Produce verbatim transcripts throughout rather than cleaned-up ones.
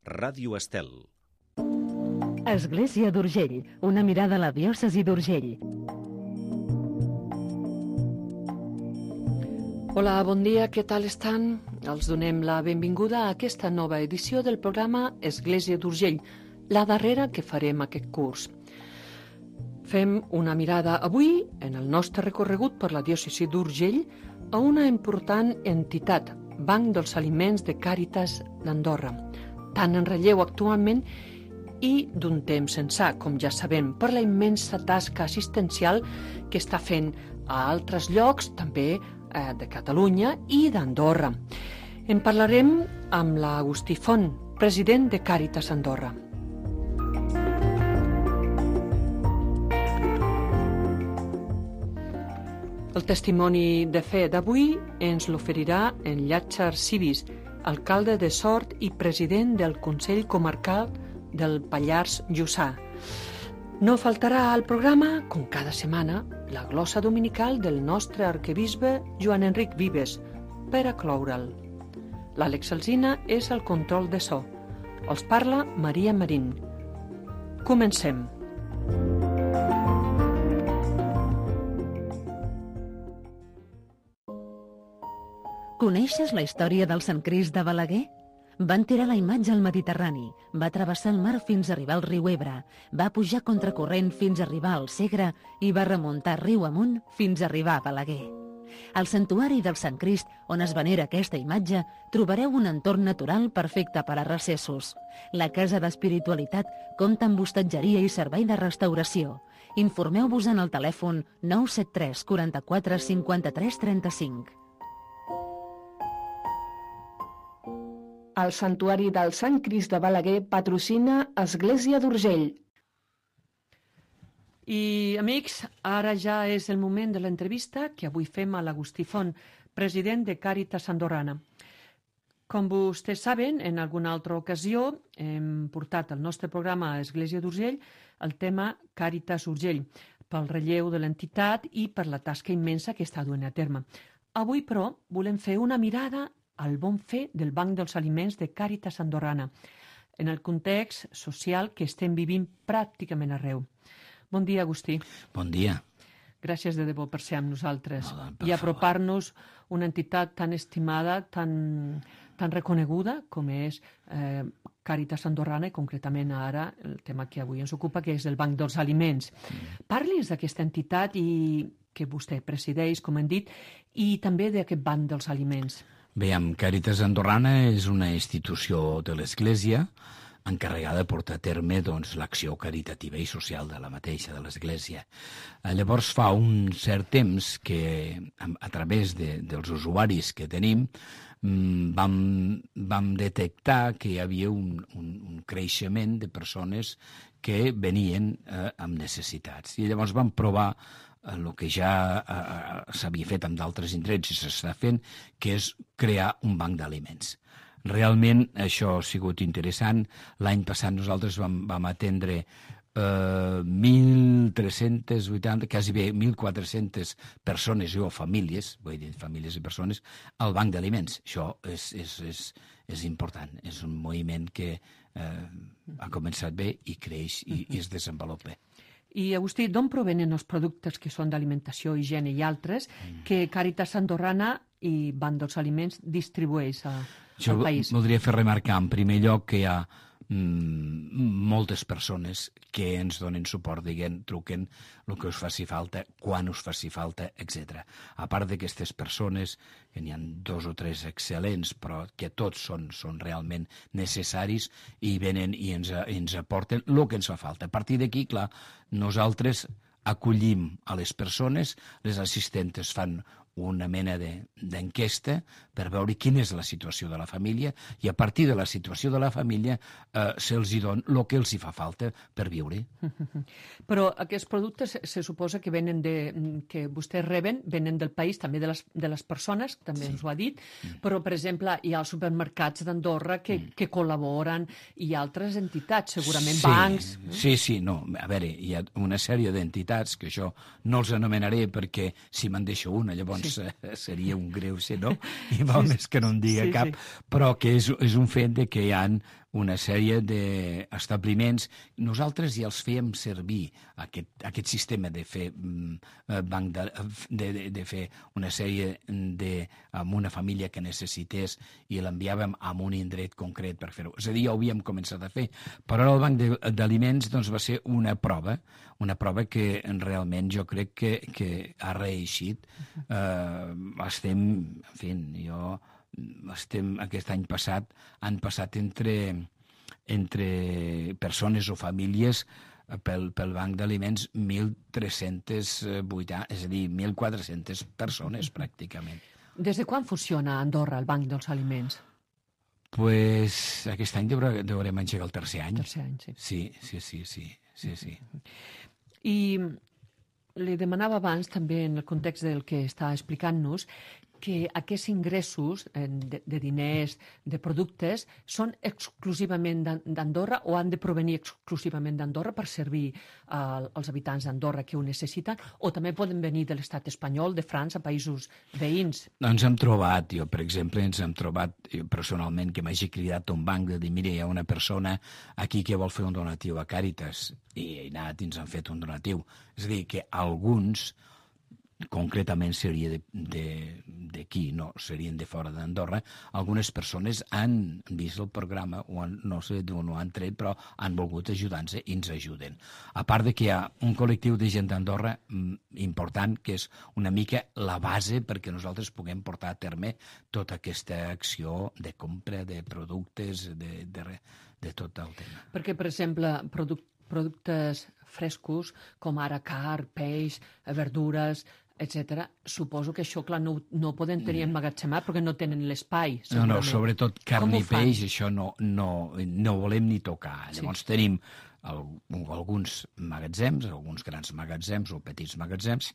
Ràdio Estel. Església d'Urgell, una mirada a la diòcesi d'Urgell. Hola, bon dia, què tal estan? Els donem la benvinguda a aquesta nova edició del programa Església d'Urgell, la darrera que farem aquest curs. Fem una mirada avui, en el nostre recorregut per la diòcesi d'Urgell, a una important entitat, Banc dels Aliments de Càritas d'Andorra, tan en relleu actualment i d'un temps ençà, com ja sabem, per la immensa tasca assistencial que està fent a altres llocs, també eh, de Catalunya i d'Andorra. En parlarem amb l'Agustí Font, president de Càritas Andorra. El testimoni de fe d'avui ens l'oferirà en Llàtzer Civis, alcalde de Sort i president del Consell Comarcal del Pallars Jussà. No faltarà al programa, com cada setmana, la glossa dominical del nostre arquebisbe Joan Enric Vives, per a cloure'l. L'Àlex Alsina és el control de so. Els parla Maria Marín. Comencem. Coneixes la història del Sant Crist de Balaguer? Van tirar la imatge al Mediterrani, va travessar el mar fins a arribar al riu Ebre, va pujar contracorrent fins a arribar al Segre i va remuntar riu amunt fins a arribar a Balaguer. Al santuari del Sant Crist, on es venera aquesta imatge, trobareu un entorn natural perfecte per a recessos. La Casa d'Espiritualitat compta amb hostatgeria i servei de restauració. Informeu-vos en el telèfon nou set tres quaranta-quatre cinquanta-tres trenta-cinc. El Santuari del Sant Crist de Balaguer patrocina Església d'Urgell. I, amics, ara ja és el moment de l'entrevista que avui fem a l'Agustí Font, president de Càritas Andorrana. Com vostès saben, en alguna altra ocasió hem portat al nostre programa a Església d'Urgell el tema Càritas Urgell, pel relleu de l'entitat i per la tasca immensa que està duent a terme. Avui, però, volem fer una mirada al bon fer del Banc dels Aliments de Càritas Andorrana, en el context social que estem vivint pràcticament arreu. Bon dia, Agustí. Bon dia. Gràcies de debò per ser amb nosaltres no, per i apropar-nos una entitat tan estimada, tan, tan reconeguda com és eh, Càritas Andorrana i concretament ara el tema que avui ens ocupa, que és el Banc dels Aliments. Mm. Parli'ns d'aquesta entitat i que vostè presideix, com hem dit, i també d'aquest Banc dels Aliments. Bé, amb Càritas Andorrana és una institució de l'Església encarregada de portar a terme doncs, l'acció caritativa i social de la mateixa, de l'Església. Llavors fa un cert temps que a, a través de, dels usuaris que tenim vam, vam detectar que hi havia un, un, un creixement de persones que venien eh, amb necessitats. I llavors vam provar el que ja eh, s'havia fet amb d'altres indrets i s'està fent, que és crear un banc d'aliments. Realment això ha sigut interessant. L'any passat nosaltres vam, vam atendre eh, mil tres-centes vuitanta, quasi bé mil quatre-centes persones o famílies, vull dir famílies i persones, al banc d'aliments. Això és, és, és, és important. És un moviment que eh, ha començat bé i creix i, i es desenvolupa. I, Agustí, d'on provenen els productes que són d'alimentació, higiene i altres que Càritas Andorrana i Banc dels Aliments distribueix a, al país? Jo voldria fer remarcar, en primer lloc, que hi ha mm, moltes persones que ens donen suport, diguen, truquen el que us faci falta, quan us faci falta, etcètera. A part d'aquestes persones, que n'hi ha dos o tres excel·lents, però que tots són, són realment necessaris i venen i ens, ens aporten el que ens fa falta. A partir d'aquí, clar, nosaltres acollim a les persones, les assistentes fan una mena d'enquesta per veure quina és la situació de la família i a partir de la situació de la família eh, se'ls hi dona el que els hi fa falta per viure. Però aquests productes se suposa que venen de, que vostès reben, venen del país, també de les, de les persones, també sí. Ens ho ha dit, mm. però, per exemple, hi ha els supermercats d'Andorra que, mm. que col·laboren i altres entitats, segurament sí, bancs. Sí, sí, no, a veure, hi ha una sèrie d'entitats que això no els anomenaré perquè si me'n deixo una, llavors sí. seria un greu ser, no? I val sí, més que no en diga sí, cap, sí. però que és, és un fet de que hi ha una sèrie d'establiments. Nosaltres ja els fèiem servir, aquest, aquest sistema de fer banc de, de, de, de fer una sèrie de, amb una família que necessités i l'enviàvem a un indret concret per fer-ho. És a dir, ja ho havíem començat a fer. Però el banc d'aliments doncs, va ser una prova, una prova que realment jo crec que, que ha reeixit. Uh, estem, en fi, jo, estem, aquest any passat, han passat entre, entre persones o famílies pel, pel banc d'aliments mil tres-cents vuitanta, és a dir, mil quatre-centes persones, pràcticament. Des de quan funciona a Andorra el banc dels aliments? Pues aquest any deurem, deurem engegar el tercer any. Tercer any, sí. Sí, sí, sí, sí, sí, sí. I li demanava abans, també en el context del que està explicant-nos, que aquests ingressos de, de diners, de productes, són exclusivament d'Andorra o han de provenir exclusivament d'Andorra per servir uh, als habitants d'Andorra que ho necessiten, o també poden venir de l'estat espanyol, de França, països veïns? Ens hem trobat, jo per exemple, ens hem trobat jo personalment que m'hagi cridat un banc de dir, mira, hi ha una persona aquí que vol fer un donatiu a Càritas, i he anat i ens han fet un donatiu. És a dir, que alguns concretament seria d'aquí, no, serien de fora d'Andorra, algunes persones han vist el programa, o han, no sé d'on ho han tret, però han volgut ajudar-nos i ens ajuden. A part de que hi ha un col·lectiu de gent d'Andorra important, que és una mica la base perquè nosaltres puguem portar a terme tota aquesta acció de compra de productes, de, de, de tot el tema. Perquè, per exemple, produc productes frescos, com ara car, peix, verdures, etcètera. Suposo que això, clar, no, no ho poden tenir emmagatzemat perquè no tenen l'espai. No, no, sobretot carn i peix, això no, no, no volem ni tocar. Sí. Llavors tenim el, alguns magatzems, alguns grans magatzems o petits magatzems,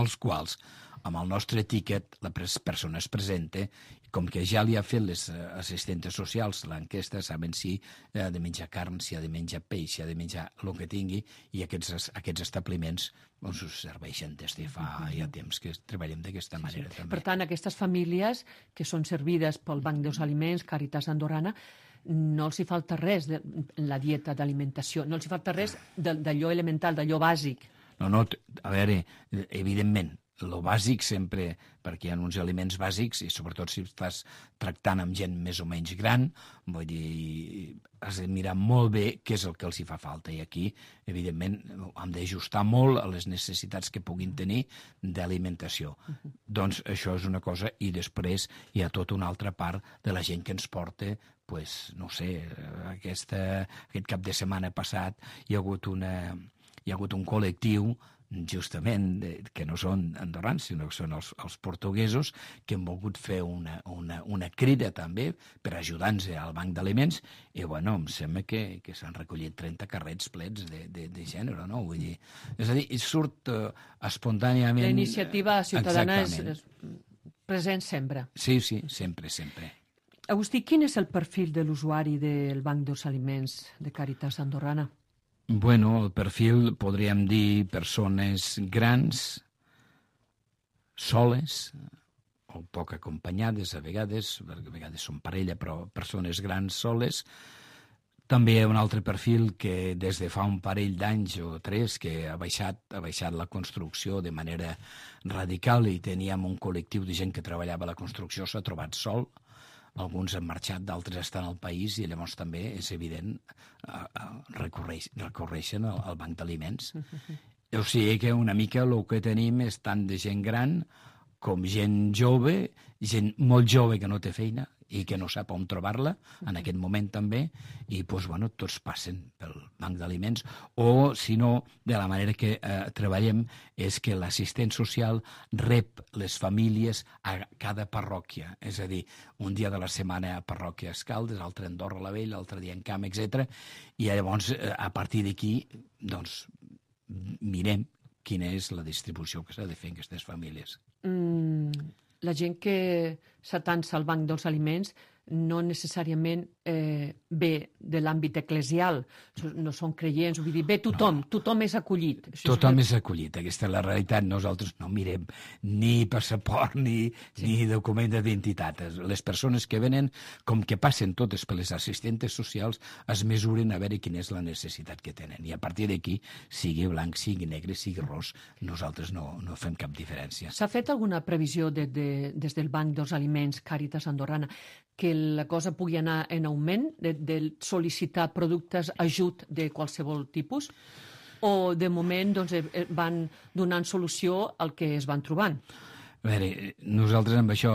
els quals, amb el nostre tiquet, la persona es presenta, com que ja li ha fet les assistentes socials l'enquesta, saben si ha de menjar carn, si ha de menjar peix, si ha de menjar el que tingui, i aquests, aquests establiments doncs, us serveixen des de fa ja temps que treballem d'aquesta manera. Sí, sí. També. Per tant, aquestes famílies que són servides pel Banc dels Aliments, Càritas Andorrana, no els hi falta res de la dieta d'alimentació, no els hi falta res d'allò elemental, d'allò bàsic. No, no, a veure, evidentment, el bàsic sempre, perquè hi ha uns aliments bàsics, i sobretot si estàs tractant amb gent més o menys gran, vull dir, has de mirar molt bé què és el que els hi fa falta. I aquí, evidentment, hem d'ajustar molt a les necessitats que puguin tenir d'alimentació. Uh-huh. Doncs això és una cosa, i després hi ha tota una altra part de la gent que ens porta, pues, no sé, aquesta, aquest cap de setmana passat hi ha hagut, una, hi ha hagut un col·lectiu justament, que no són andorrans, sinó que són els, els portuguesos, que han volgut fer una, una, una crida també per ajudar-nos al banc d'aliments, i bueno, em sembla que, que s'han recollit trenta carrets plets de, de, de gènere, no? Vull dir, és a dir, surt uh, espontàniament... La iniciativa ciutadana és, és present sempre. Sí, sí, sempre, sempre. Agustí, quin és el perfil de l'usuari del Banc dels Aliments de Càritas Andorrana? Bueno, el perfil, podríem dir, persones grans, soles, o poc acompanyades a vegades, perquè a vegades són parella, però persones grans soles. També hi ha un altre perfil que des de fa un parell d'anys o tres que ha baixat, ha baixat la construcció de manera radical, i teníem un col·lectiu de gent que treballava a la construcció, s'ha trobat sol. Alguns han marxat, d'altres estan al país, i llavors també és evident uh, recorreix, recorreixen al, al banc d'aliments. O sigui que una mica el que tenim és tant de gent gran com gent jove, gent molt jove que no té feina i que no sap on trobar-la, en aquest moment també, i doncs, bueno, tots passen pel banc d'aliments, o, si no, de la manera que eh, treballem, és que l'assistent social rep les famílies a cada parròquia, és a dir, un dia de la setmana a parròquia Escaldes, l'altre a Andorra la Vella, l'altre dia en Camp, etcètera. I llavors, eh, a partir d'aquí, doncs, mirem quina és la distribució que s'ha de fer en aquestes famílies. Mm, la gent que s'atansa al Banc dels Aliments no necessàriament eh, ve de l'àmbit eclesial, no són creients, vull dir, ve tothom, no. tothom és acollit. Això tothom és... és acollit, aquesta és la realitat. Nosaltres no mirem ni passaport ni, sí. ni document d'identitat. Les persones que venen, com que passen totes per les assistentes socials, es mesuren a veure quina és la necessitat que tenen. I a partir d'aquí, sigui blanc, sigui negre, sigui ros, nosaltres no, no fem cap diferència. S'ha fet alguna previsió de, de, des del Banc dels Aliments Càritas Andorrana que la cosa pugui anar en augment, de, de sol·licitar productes, ajut de qualsevol tipus? O de moment doncs, van donant solució al que es van trobant? A veure, nosaltres amb això,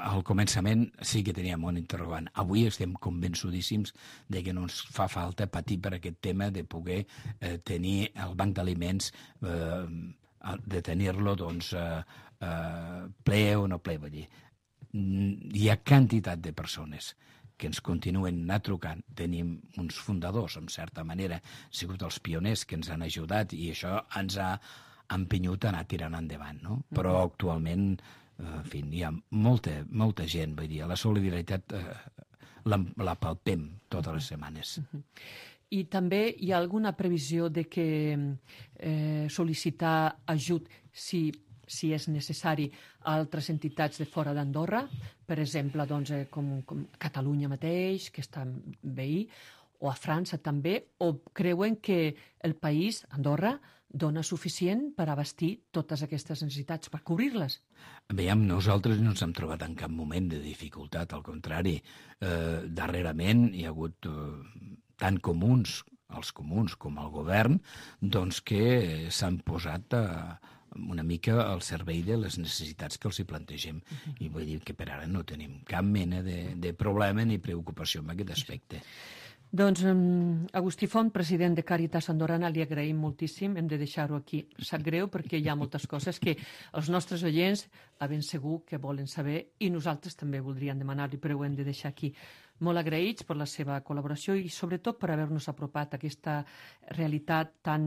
al començament, sí que teníem un interrogant. Avui estem convençudíssims de que no ens fa falta patir per aquest tema de poder eh, tenir el banc d'aliments, eh, de tenir-lo doncs, eh, eh, ple o no ple. Vull dir, hi ha quantitat de persones que ens continuen anar trucant. Tenim uns fundadors, en certa manera, han sigut els pioners que ens han ajudat i això ens ha empenyut a anar tirant endavant, no? Però actualment, en fi, hi ha molta, molta gent, vull dir, la solidaritat eh, la, la palpem totes les setmanes. I també hi ha alguna previsió de que eh, sol·licitar ajut si si és necessari, a altres entitats de fora d'Andorra, per exemple, doncs, eh, com, com Catalunya mateix, que està veí, o a França també, o creuen que el país, Andorra, dona suficient per abastir totes aquestes necessitats, per cobrir-les? Veiem, nosaltres no ens hem trobat en cap moment de dificultat, al contrari. Eh, darrerament hi ha hagut eh, tant comuns, els comuns com el govern, doncs que s'han posat a una mica al servei de les necessitats que els hi plantegem. Uh-huh. I vull dir que per ara no tenim cap mena de, de problema ni preocupació en aquest aspecte. Doncs um, Agustí Font, president de Càritas Andorrana, li agraïm moltíssim, hem de deixar-ho aquí. Sap greu perquè hi ha moltes coses que els nostres oients a ben segur que volen saber i nosaltres també voldríem demanar-li, però ho hem de deixar aquí. Molt agraïts per la seva col·laboració i sobretot per haver-nos apropat a aquesta realitat tan,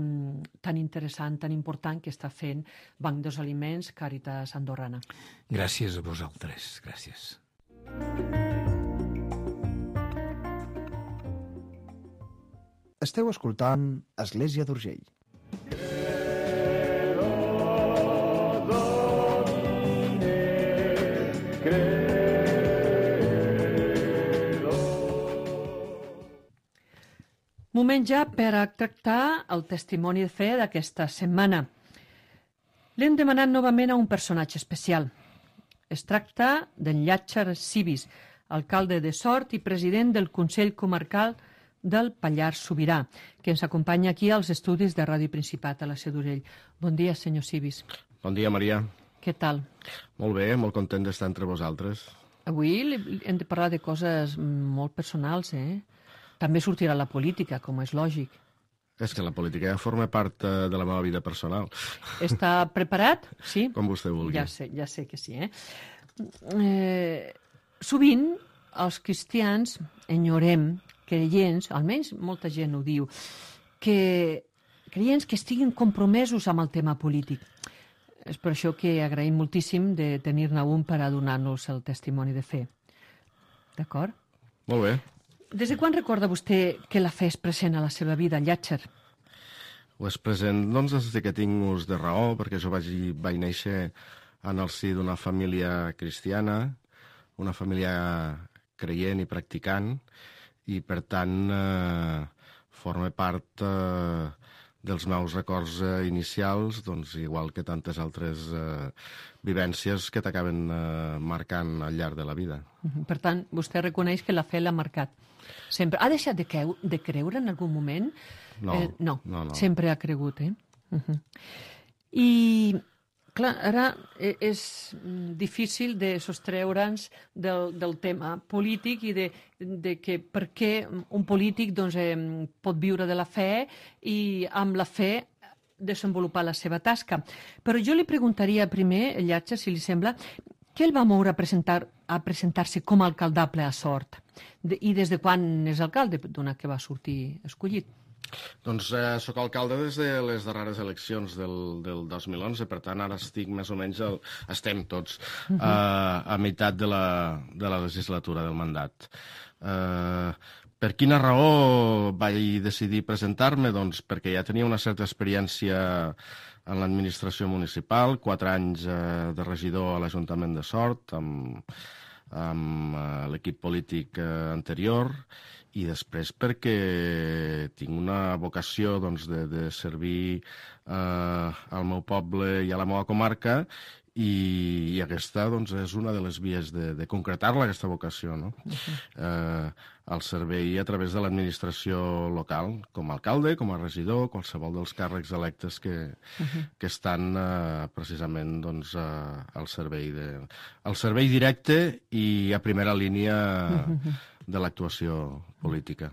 tan interessant, tan important que està fent Banc dels Aliments Càritas Andorrana. Gràcies a vosaltres, gràcies. Esteu escoltant Església d'Urgell. Moment ja per a tractar el testimoni de fe d'aquesta setmana. L'hem demanat novament a un personatge especial. Es tracta d'en Llàtzer Cibis, alcalde de Sort i president del Consell Comarcal del Pallars Sobirà, que ens acompanya aquí als estudis de Ràdio Principat a la Seu d'Urgell. Bon dia, senyor Cibis. Bon dia, Maria. Què tal? Molt bé, molt content d'estar entre vosaltres. Avui hem de parlar de coses molt personals, eh? També sortirà la política, com és lògic. És que la política ja forma part eh, de la meva vida personal. Està preparat? Sí? Com vostè vulgui. Ja sé, ja sé que sí, eh? eh sovint els cristians enyorem creients, almenys molta gent ho diu, que creients que estiguin compromesos amb el tema polític. És per això que agraïm moltíssim de tenir-ne un per a donar-nos el testimoni de fe. D'acord? Molt bé. Des de quan recorda vostè que la fe és present a la seva vida, Llàtzer? Ho és present, doncs, des que tinc ús de raó, perquè jo vaig, vaig néixer en el si d'una família cristiana, una família creient i practicant, i, per tant, eh, forma part eh, dels meus records eh, inicials, doncs, igual que tantes altres eh, vivències que t'acaben eh, marcant al llarg de la vida. Per tant, vostè reconeix que la fe l'ha marcat. Sempre. Ha deixat de, creu de creure en algun moment? No, eh, no, no, no. Sempre ha cregut, eh? Uh -huh. I, clar, ara és difícil de sostreure'ns del, del tema polític i de, de que per què un polític doncs, eh, pot viure de la fe i amb la fe desenvolupar la seva tasca. Però jo li preguntaria primer, Llàtzer, si li sembla, què el va moure a presentar a presentar-se com a alcaldable a Sort? De, I des de quan és alcalde, donat que va sortir escollit? Doncs eh, sóc alcalde des de les darreres eleccions del, del dos mil onze, per tant ara estic més o menys, el, estem tots uh -huh. eh, a meitat de la, de la legislatura del mandat. Eh, per quina raó vaig decidir presentar-me? Doncs perquè ja tenia una certa experiència en l'administració municipal, quatre anys eh, de regidor a l'Ajuntament de Sort, amb, amb eh, l'equip polític eh, anterior, i després perquè tinc una vocació doncs, de, de servir eh, al meu poble i a la meva comarca, i, i aquesta doncs, és una de les vies de, de concretar-la, aquesta vocació, no? Uh-huh. eh, el servei a través de l'administració local, com a alcalde, com a regidor, qualsevol dels càrrecs electes que, uh-huh. que estan eh, precisament doncs, eh, al servei de, al servei directe i a primera línia uh-huh. de l'actuació política.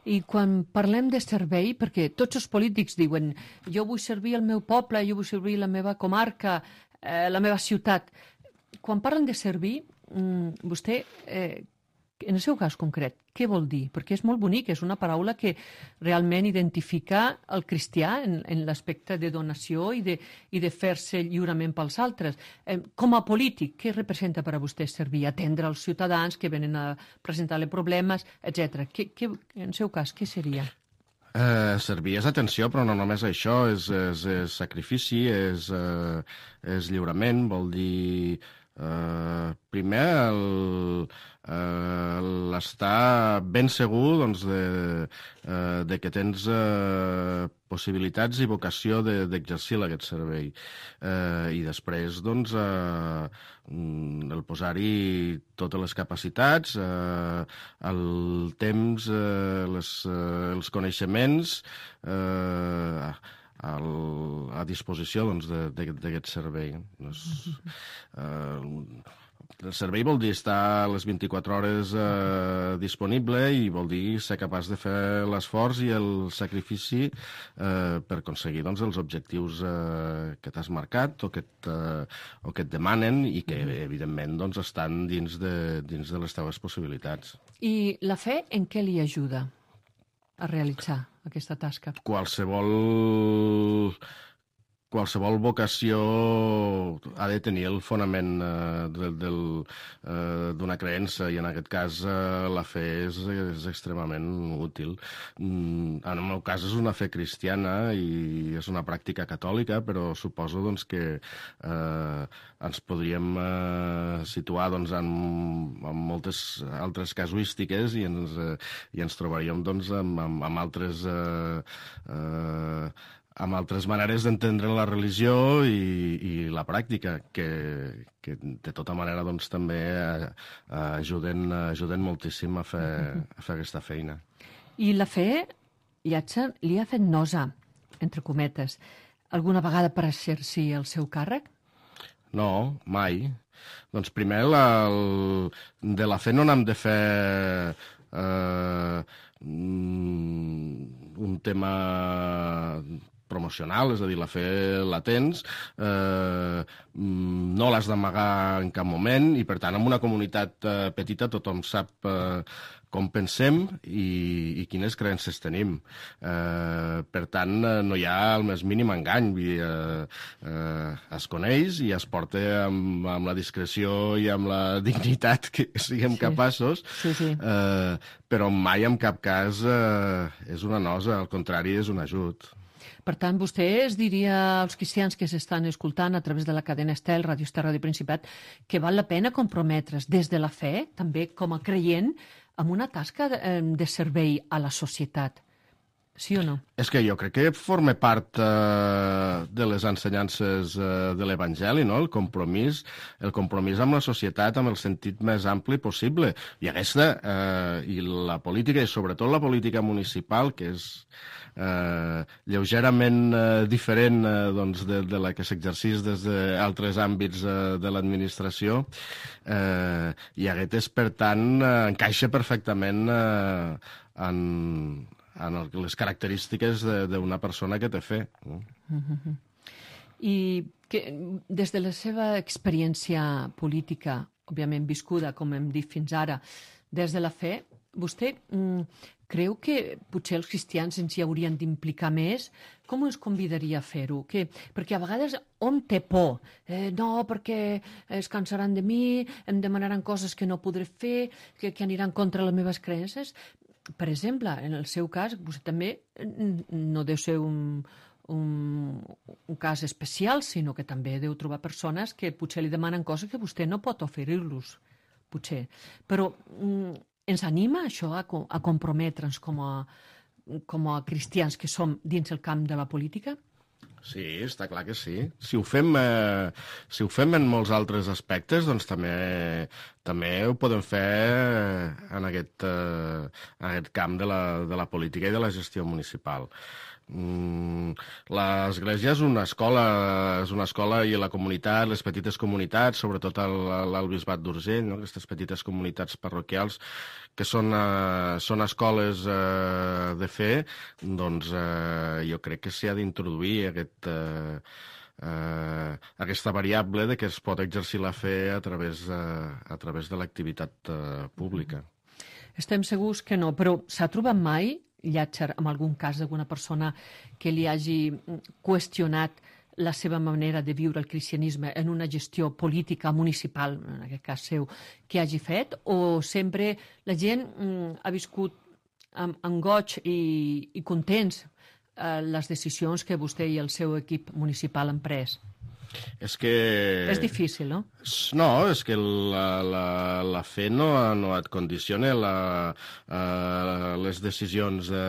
I quan parlem de servei, perquè tots els polítics diuen jo vull servir el meu poble, jo vull servir la meva comarca, eh, la meva ciutat. Quan parlen de servir, vostè, eh, en el seu cas concret, què vol dir? Perquè és molt bonic, és una paraula que realment identifica el cristià en, en l'aspecte de donació i de, i de fer-se lliurement pels altres. Eh, com a polític, què representa per a vostè servir? Atendre els ciutadans que venen a presentar-li problemes, etcètera. Què, què, en el seu cas, què seria? Eh, servir és atenció, però no només això, és, és, és sacrifici, és, eh, és lliurament, vol dir... Uh, primer el, uh, l'estar ben segur doncs, de, uh, de que tens uh, possibilitats i vocació de, d'exercir aquest servei uh, i després doncs, uh, el posar-hi totes les capacitats, uh, el temps, uh, les, uh, els coneixements uh, Al, a disposició doncs, d'aquest servei. Doncs, eh, el servei vol dir estar les vint-i-quatre hores eh, disponible i vol dir ser capaç de fer l'esforç i el sacrifici eh, per aconseguir doncs, els objectius eh, que t'has marcat o que, eh, o que et demanen i que, evidentment, doncs, estan dins de, dins de les teves possibilitats. I la fe en què li ajuda a realitzar aquesta tasca? Qualsevol, qualsevol vocació ha de tenir el fonament eh, del, del, eh, d'una creença i en aquest cas eh, la fe és, és extremament útil. Mm, en el meu cas és una fe cristiana i és una pràctica catòlica, però suposo doncs, que eh, ens podríem eh, situar doncs, en, en moltes altres casuístiques i ens, eh, i ens trobaríem doncs, amb, amb, amb altres eh, eh, amb altres maneres d'entendre la religió i, i la pràctica, que, que de tota manera doncs, també eh, ajuden, ajuden moltíssim a fer, a fer aquesta feina. I la fe, Llàtzer, li ha fet nosa, entre cometes, alguna vegada per exercir el seu càrrec? No, mai. Doncs primer, la, el, de la fe no n'hem de fer eh, un tema promocional, és a dir, la fe la tens, eh, no l'has d'amagar en cap moment i, per tant, en una comunitat eh, petita tothom sap eh, com pensem i, i quines creences tenim. Eh, per tant, no hi ha el més mínim engany. Vull dir, eh, eh, es coneix i es porta amb, amb la discreció i amb la dignitat que siguem sí. capaços, sí, sí. Eh, però mai en cap cas eh, és una nosa, al contrari, és un ajut. Per tant, vostè es diria als cristians que s'estan escoltant a través de la cadena Estel, Ràdio Estel, Ràdio Principat, que val la pena comprometre's des de la fe, també com a creient, amb una tasca de, de servei a la societat. Sí o no? És que jo crec que forma part eh, de les ensenyances eh, de l'Evangeli, no? El compromís, el compromís amb la societat amb el sentit més ampli possible. I aquesta, eh, i la política, i sobretot la política municipal, que és eh, lleugerament eh, diferent eh, doncs de, de la que s'exercís des d'altres àmbits eh, de l'administració, eh, i aquest és, per tant, eh, encaixa perfectament eh, en... en les característiques d'una persona que té fe. No? Uh-huh. I que, des de la seva experiència política, òbviament viscuda, com hem dit fins ara, des de la fe, vostè mm, creu que potser els cristians ens hi haurien d'implicar més? Com ens convidaria a fer-ho? Que, perquè a vegades hom té por. Eh, no, perquè es cansaran de mi, em demanaran coses que no podré fer, que, que aniran contra les meves creences. Per exemple, en el seu cas, vostè també no deu ser un, un, un cas especial, sinó que també deu trobar persones que potser li demanen coses que vostè no pot oferir-los, potser. Però mm, ens anima això a, a comprometre'ns com a, com a cristians que som dins el camp de la política? Sí, està clar que sí. Si ho fem, eh, si ho fem en molts altres aspectes, doncs també, també ho podem fer en aquest, eh, en aquest camp de la, de la política i de la gestió municipal. Mm, l'església és una escola, és una escola i la comunitat, les petites comunitats, sobretot al bisbat d'Urgell, no? Aquestes petites comunitats parroquials que són, eh, són escoles eh, de fe, doncs eh, jo crec que s'hi ha d'introduir aquest, eh, eh, aquesta variable de que es pot exercir la fe a través, eh, a través de l'activitat eh, pública. Estem segurs que no, però s'ha trobat mai, Llàtzer, en algun cas d'alguna persona que li hagi qüestionat la seva manera de viure el cristianisme en una gestió política municipal, en aquest cas seu, que hagi fet? O sempre la gent mm, ha viscut amb, amb goig i, i contents eh, les decisions que vostè i el seu equip municipal han pres? És que... És difícil, no? No, és que la, la, la fe no, no et condiciona la, uh, les decisions de,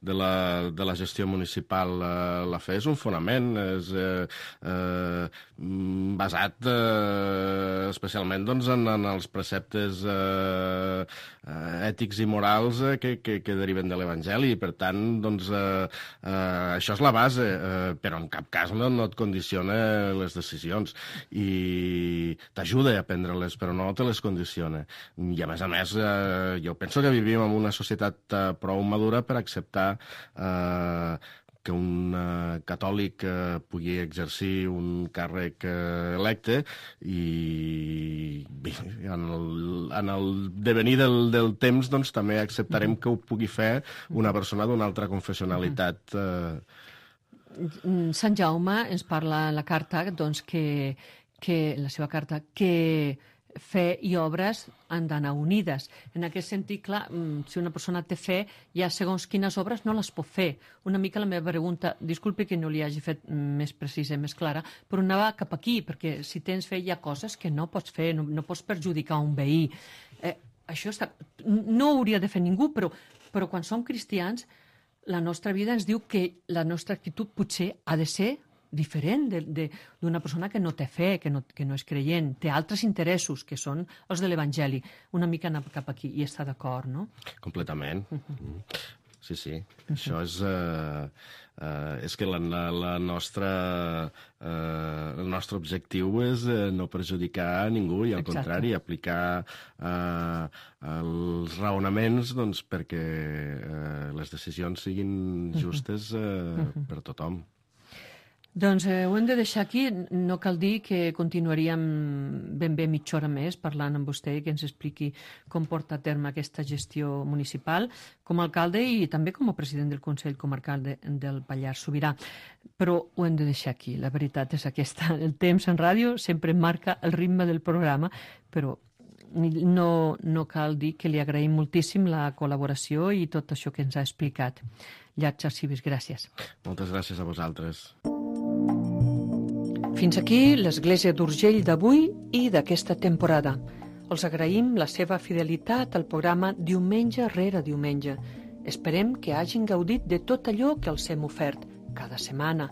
de, la, de la gestió municipal. Uh, la fe és un fonament, és uh, uh, basat uh, especialment doncs, en, en els preceptes uh, uh, ètics i morals uh, que, que, que deriven de l'Evangeli. Per tant, doncs, uh, uh, això és la base, uh, però en cap cas no, no et condiciona les decisions i t'ajuda a prendre-les, però no te les condiciona. I a més a més, eh, jo penso que vivim en una societat eh, prou madura per acceptar eh, que un eh, catòlic eh, pugui exercir un càrrec eh, electe i bé, en, el, en el devenir del, del temps doncs, també acceptarem que ho pugui fer una persona d'una altra confessionalitat eh, Sant Jaume ens parla en la carta, doncs, que, que la seva carta, que fe i obres han d'anar unides. En aquest sentit, clar, si una persona té fe, ja segons quines obres no les pot fer. Una mica la meva pregunta, disculpi que no li hagi fet més precisa, més clara, però anava cap aquí, perquè si tens fe hi ha coses que no pots fer, no, no pots perjudicar un veí. Eh, això està, no ho hauria de fer ningú, però, però quan som cristians la nostra vida ens diu que la nostra actitud potser ha de ser diferent d'una persona que no té fe, que no, que no és creient, té altres interessos que són els de l'Evangeli. Una mica anar cap aquí i està d'acord, no? Completament. Uh-huh. Sí, sí. Uh-huh. Això és... Uh, uh, és que la, la, la nostra, uh, el nostre objectiu és uh, no perjudicar a ningú i, al Exacte. Contrari, aplicar uh, els raonaments doncs, perquè uh, les decisions siguin justes uh, uh-huh. per tothom. Doncs eh, ho hem de deixar aquí. No cal dir que continuaríem ben bé mitja hora més parlant amb vostè i que ens expliqui com porta a terme aquesta gestió municipal com a alcalde i també com a president del Consell Comarcal de, del Pallars Sobirà. Però ho hem de deixar aquí. La veritat és aquesta. El temps en ràdio sempre marca el ritme del programa, però no, no cal dir que li agraïm moltíssim la col·laboració i tot això que ens ha explicat. Llàtzer Cibis, gràcies. Moltes gràcies a vosaltres. Fins aquí l'Església d'Urgell d'avui i d'aquesta temporada. Els agraïm la seva fidelitat al programa diumenge rere diumenge. Esperem que hagin gaudit de tot allò que els hem ofert cada setmana,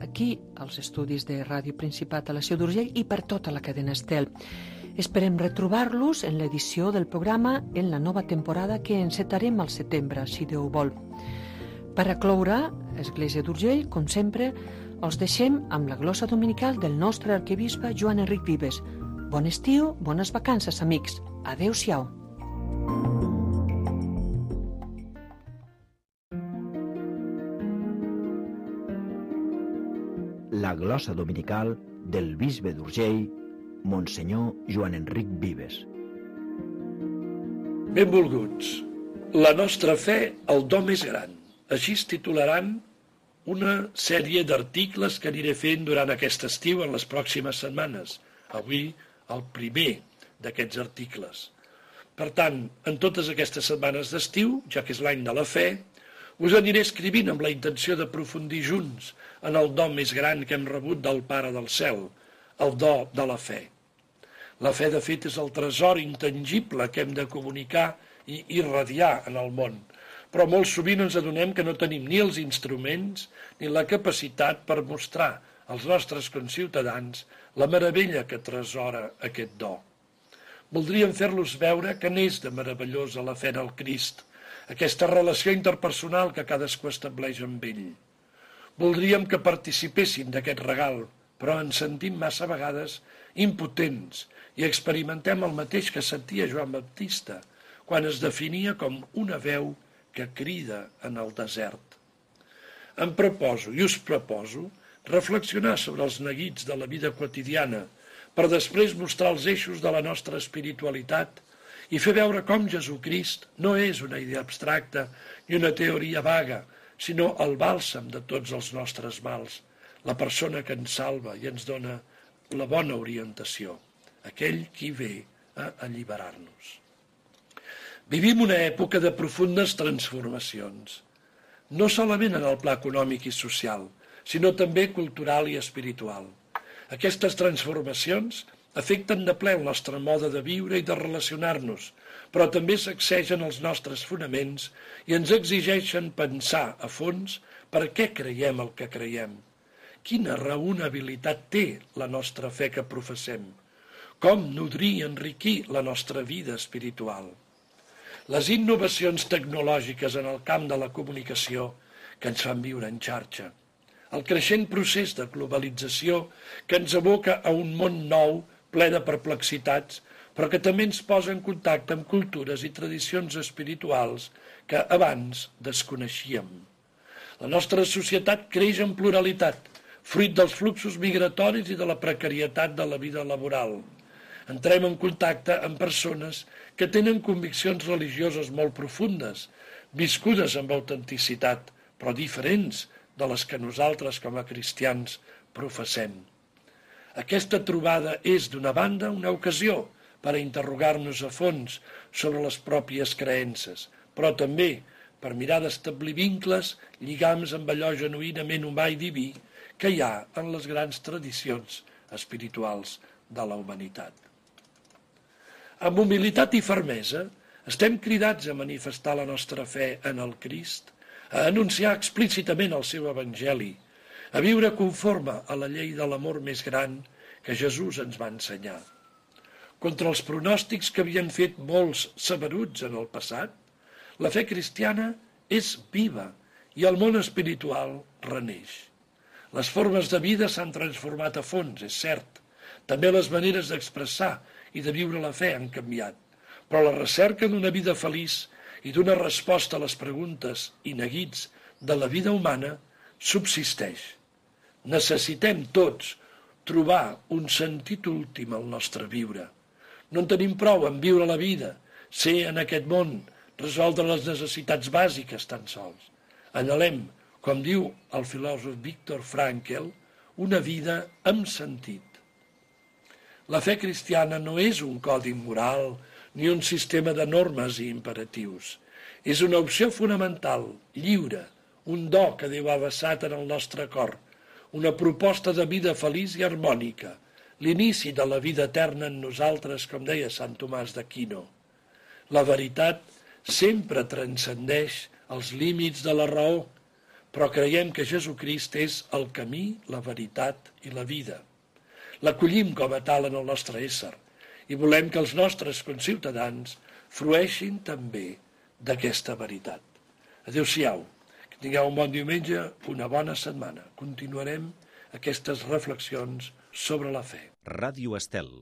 aquí als estudis de Ràdio Principat a la Seu d'Urgell i per tota la cadena Estel. Esperem retrobar-los en l'edició del programa en la nova temporada que encetarem al setembre, si Déu vol. Per a cloure, Església d'Urgell, com sempre, els deixem amb la glossa dominical del nostre arquebisbe Joan Enric Vives. Bon estiu, bones vacances, amics. Adéu-siau. La glossa dominical del bisbe d'Urgell, Monsenyor Joan Enric Vives. Benvolguts. La nostra fe, el do més gran. Així es titularan una sèrie d'articles que aniré fent durant aquest estiu en les pròximes setmanes. Avui, el primer d'aquests articles. Per tant, en totes aquestes setmanes d'estiu, ja que és l'any de la fe, us aniré escrivint amb la intenció d'aprofundir junts en el do més gran que hem rebut del Pare del Cel, el do de la fe. La fe, de fet, és el tresor intangible que hem de comunicar i irradiar en el món, però molt sovint ens adonem que no tenim ni els instruments ni la capacitat per mostrar als nostres conciutadans la meravella que tresora aquest do. Voldríem fer-los veure que n'és de meravellosa la fe en el Crist, aquesta relació interpersonal que cadascú estableix amb ell. Voldríem que participessin d'aquest regal, però ens sentim massa vegades impotents i experimentem el mateix que sentia Joan Baptista quan es definia com una veu que crida en el desert. Em proposo i us proposo reflexionar sobre els neguits de la vida quotidiana per després mostrar els eixos de la nostra espiritualitat i fer veure com Jesucrist no és una idea abstracta ni una teoria vaga, sinó el bàlsam de tots els nostres mals, la persona que ens salva i ens dona la bona orientació, aquell qui ve a alliberar-nos. Vivim una època de profundes transformacions, no solament en el pla econòmic i social, sinó també cultural i espiritual. Aquestes transformacions afecten de ple el nostre mode de viure i de relacionar-nos, però també sacsegen els nostres fonaments i ens exigeixen pensar a fons per què creiem el que creiem. Quina raonabilitat té la nostra fe que professem? Com nodrir i enriquir la nostra vida espiritual? Les innovacions tecnològiques en el camp de la comunicació que ens fan viure en xarxa, el creixent procés de globalització que ens aboca a un món nou ple de perplexitats, però que també ens posa en contacte amb cultures i tradicions espirituals que abans desconeixíem. La nostra societat creix en pluralitat, fruit dels fluxos migratoris i de la precarietat de la vida laboral. Entrem en contacte amb persones que tenen conviccions religioses molt profundes, viscudes amb autenticitat, però diferents de les que nosaltres com a cristians professem. Aquesta trobada és, d'una banda, una ocasió per a interrogar-nos a fons sobre les pròpies creences, però també per mirar d'establir vincles, lligams amb allò genuïnament humà i diví que hi ha en les grans tradicions espirituals de la humanitat. Amb humilitat i fermesa estem cridats a manifestar la nostra fe en el Crist, a anunciar explícitament el seu evangeli, a viure conforme a la llei de l'amor més gran que Jesús ens va ensenyar. Contra els pronòstics que havien fet molts saberuts en el passat, la fe cristiana és viva i el món espiritual reneix. Les formes de vida s'han transformat a fons, és cert. També les maneres d'expressar i de viure la fe han canviat, però la recerca d'una vida feliç i d'una resposta a les preguntes i neguits de la vida humana subsisteix. Necessitem tots trobar un sentit últim al nostre viure. No en tenim prou en viure la vida, ser en aquest món, resoldre les necessitats bàsiques tan sols. Anhelem, com diu el filòsof Viktor Frankl, una vida amb sentit. La fe cristiana no és un codi moral ni un sistema de normes i imperatius. És una opció fonamental, lliure, un do que Déu ha vessat en el nostre cor, una proposta de vida feliç i harmònica, l'inici de la vida eterna en nosaltres, com deia Sant Tomàs d'Aquino. La veritat sempre transcendeix els límits de la raó, però creiem que Jesucrist és el camí, la veritat i la vida. L'acollim com a tal en el nostre ésser i volem que els nostres conciutadans frueixin també d'aquesta veritat. Adéu-siau, que tingueu un bon diumenge, una bona setmana. Continuarem aquestes reflexions sobre la fe. Ràdio Estel.